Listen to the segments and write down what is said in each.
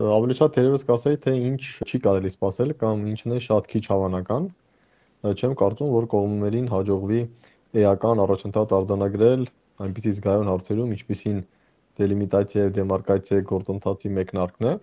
Ավելի շատ թերևս կասեի, թե ինչ չի կարելի սպասել կամ ինչն է շատ քիչ հավանական։ Չեմ կարծում, որ կողմերին հաջողվի էական առաջընթաց արձանագրել այնպիսի զգայուն հարցերում, ինչպիսին դելիմիտացիա եւ դեմարկացիա գործընթացի մեկնարկն է,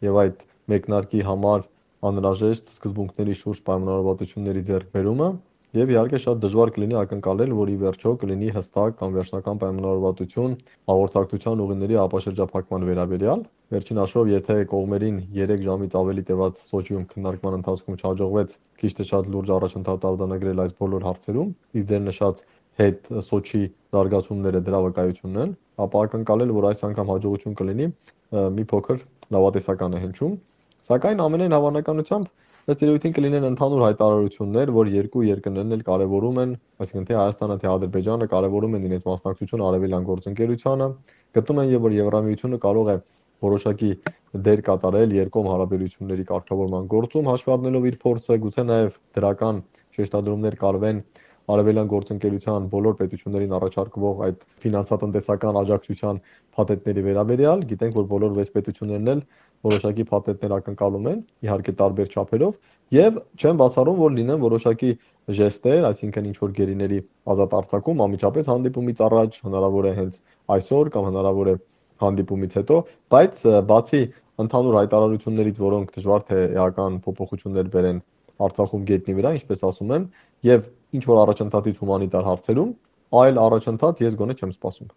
եւ այդ մեկնարկի համար անհրաժեշտ սկզբունքների շուրջ պայմանավորվածությունների ձեռքբերումը, եւ իհարկե շատ դժվար կլինի ակնկալել, որ ի վերջո կլինի հստակ կամ վերջնական պայմանավորվածություն հաղորդակցության ուղիների ապաշրջափակման վերաբերյալ։ Վերջին հաշվով, եթե կողմերին 3 ժամից ավելի տևած Սոչիում քննարկման ընթացքում չհաջողվեց քիչ թե շատ լուրջ առաջընթաց արձանագրել այս բոլոր հարցերում, իսկ ձեր նշած հետ Սոչի զարգացումները դրա վկայությունն են, ապա ակնկալել, որ այս անգամ հաջողություն կլինի, մի փոքր լավատեսական է հնչում։ Սակայն ամենայն հավանականությամբ ըստ երևույթին կլինեն ընդհանուր հայտարարություններ, որ երկու երկրներն էլ կարևորում են, այսինքն թե Հայաստանը, թե Ադրբեջանը կարևորում են իրենց մասնակցությունը արևելյան գործընկերությանը, գտնում են, որ Եվրամիությունը կարող է որոշակի դեր կատարել երկկողմ հարաբերությունների կարգավորման գործում, հաշվի առնելով իր փորձը, գուցե նաև դրական շեշտադրումներ կարվեն արևելյան գործընկերության բոլոր պետություններին առաջարկվող այդ ֆինանսատնտեսական աջակցության փաթեթների վերաբերյալ։ Գիտենք, որ բոլոր 6 պետություններն էլ որոշակի փաթեթներ ակնկալում են, իհարկե տարբեր չափերով, եւ չեմ բացառում, որ լինեն որոշակի ժեստեր, այսինքն ինչ որ գերիների ազատ արձակում անմիջապես հանդիպումից առաջ, հնարավոր է հենց այսօր կամ հնարավոր է հանդիպումից հետո, բայց բացի ընդհանուր հայտարարություններից, որոնք դժվար թե էական փոփոխություններ բերեն Արցախում գետնի վրա, ինչպես ասում են, եւ ինչ որ առաջընթացից հումանիտար հարցերում, այլ առաջընթաց ես գոնե չեմ սպասում։